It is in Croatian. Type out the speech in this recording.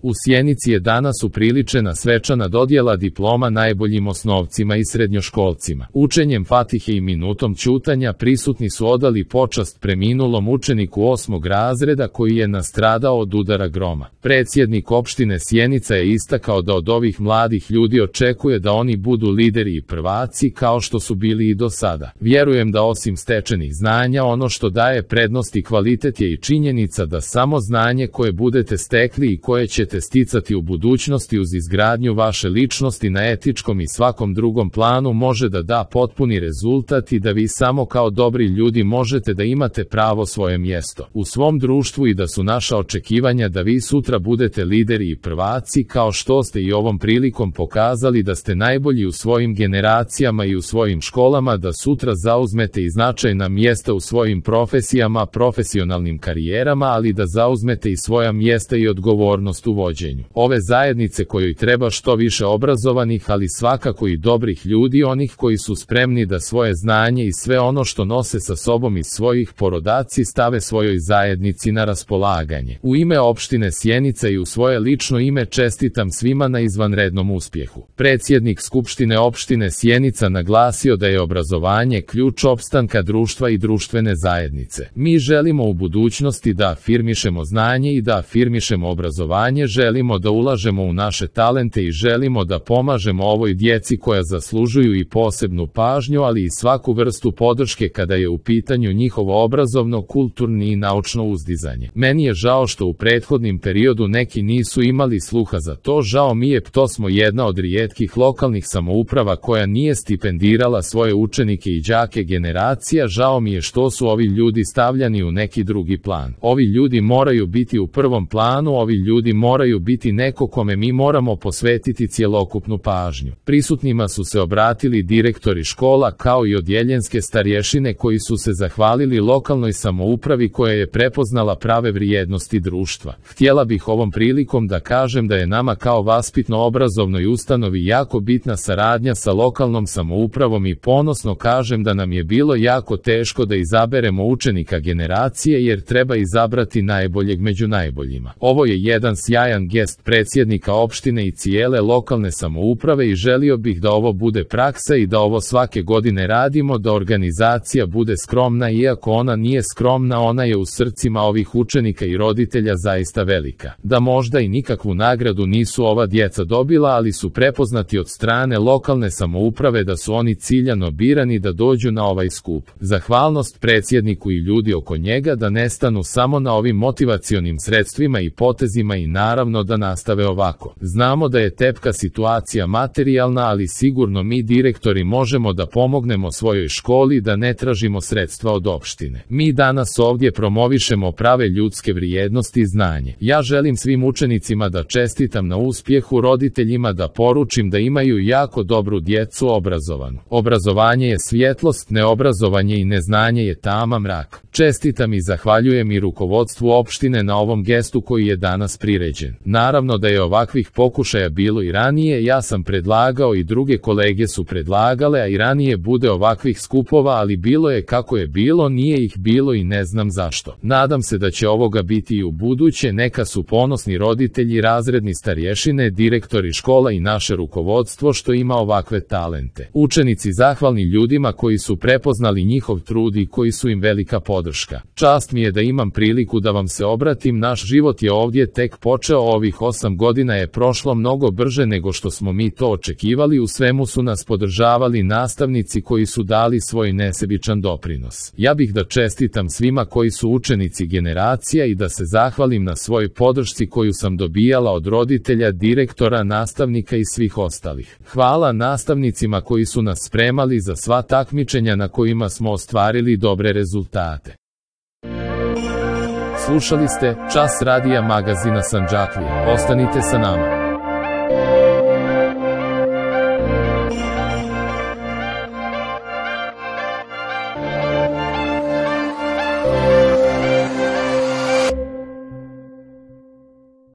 U Sjenici je danas upriličena svečana dodjela diploma najboljim osnovcima i srednjoškolcima. Učenjem Fatihe i minutom ćutanja prisutni su odali počast preminulom učeniku 8. razreda koji je nastradao od udara groma. Predsjednik opštine Sjenica je istakao da od ovih mladih ljudi očekuje da oni budu lideri i prvaci kao što su bili i do sada. Vjerujem da osim stečenih znanja ono što daje prednost i kvalitet je i činjenica da samo znanje koje budete stekli i koje ćete sticati u budućnosti uz izgradnju vaše ličnosti na etičkom i svakom drugom planu može da da potpuni rezultat i da vi samo kao dobri ljudi možete da imate pravo svoje mjesto u svom društvu i da su naša očekivanja da vi sutra budete lideri i prvaci kao što ste i ovom prilikom pokazali da ste najbolji u svojim generacijama i u svojim školama, da sutra zauzmete i značajna mjesta u svojim profesijama, profesionalnim karijerama, ali da zauzmete i svoja mjesta i odgovornost u vođenju ove zajednice kojoj treba što više obrazovanih, ali svakako i dobrih ljudi, onih koji su spremni da svoje znanje i sve ono što nose sa sobom iz svojih porodaci stave svojoj zajednici na raspolaganje. U ime opštine Sjenica i u svoje lično ime čestitam svima na izvanrednom uspjehu. Predsjednik Skupštine opštine Sjenica naglasio da je obrazovanje ključ opstanka društva i društvene zajednice. Mi želimo u budućnosti da afirmišemo znanje i da afirmišemo obrazovanje, želimo da ulažemo u naše talente i želimo da pomažemo ovoj djeci koja zaslužuju i posebnu pažnju, ali i svaku vrstu podrške kada je u pitanju njihovo obrazovno, kulturni i naučno uzdizanje. Meni je žao što u prethodnim periodu neki nisu imali sluha za to, žao mi je, to smo jedna od rijetkih lokalnih samouprava koja nije stipendirala svoje učenike i đake generacija, žao mi je što su ovi ljudi stavljani u neki drugi plan. Ovi ljudi moraju biti u prvom planu, ovi ljudi moraju biti neko kome mi moramo posvetiti cjelokupnu pažnju. Prisutnima su se obratili direktori škola kao i odjeljenske starješine koji su se zahvalili lokalnoj samoupravi koja je prepoznala prave vrijednosti društva. Htjela bih ovom prilikom da kažem da je nama kao vaspitno-obrazovnoj ustanovi jako bitna saradnja sa lokalnom samoupravom i ponosno kažem da nam je bilo jako teško da izaberemo učenika generacije jer treba izabrati najboljeg među najboljima. Ovo je jedan sjajan gest predsjednika opštine i cijele lokalne samouprave i želio bih da ovo bude praksa i da ovo svake godine radimo, da organizacija bude skromna, iako ona nije skromna, ona je u srcima ovih učenika i roditelja zaista velika. Da možda i nikakvu nagradu nisu ova djeca dobila, ali su prepoznati od strane lokalne samouprave da su oni ciljano birani da dođu na ovaj skup. Zahvalnost predsjedniku i ljudi oko njega da ne stanu samo na ovim motivacionim sredstvima i potezima i naravno da nastave ovako. Znamo da je tepka situacija materijalna, ali sigurno mi direktori možemo da pomognemo svojoj školi, da ne tražimo sredstva od opštine. Mi danas ovdje promovišemo prave ljudske vrijednosti i znanje. Ja želim svim učenicima da čestitam na uspjehu, roditeljima da poručim da imaju jako dobru djecu obrazovanu. Obrazovanje je svjetlost, neobrazovanje i neznanje je tama mrak. Čestitam i zahvaljujem i rukovodstvu opštine na ovom gestu koji je danas priređen. Naravno da je ovakvih pokušaja bilo i ranije, ja sam predlagao i druge kolege su predlagale, a i ranije bude ovakvih skupova, ali bilo je kako je bilo, nije ih bilo i ne znam zašto. Nadam se da će ovoga biti i u buduće, neka su ponosni roditelji, razredni starješine, direktori škola i naše rukovodstvo što ima ovakve talente. Učenici zahvalni ljudima koji su prepoznali njihov trud i koji su im velika podrška. Čast mi je da imam priliku da vam se obratim, naš život je ovdje tek počeo, ovih 8 godina je prošlo mnogo brže nego što smo mi to očekivali, u svemu su nas podržavali nastavnici koji su dali svoj nesebičan doprinos. Ja bih da čestitam svima koji su učenici generacija i da se zahvalim na svojoj podršci koju sam dobijala od roditelja, direktora, nastavnika i svih ostalih. Hvala nastavnicima koji su nas spremali za sva takmičenja na kojima smo ostvarili dobre rezultate. Slušali ste Čas radija magazina Sandžaklije. Ostanite sa nama.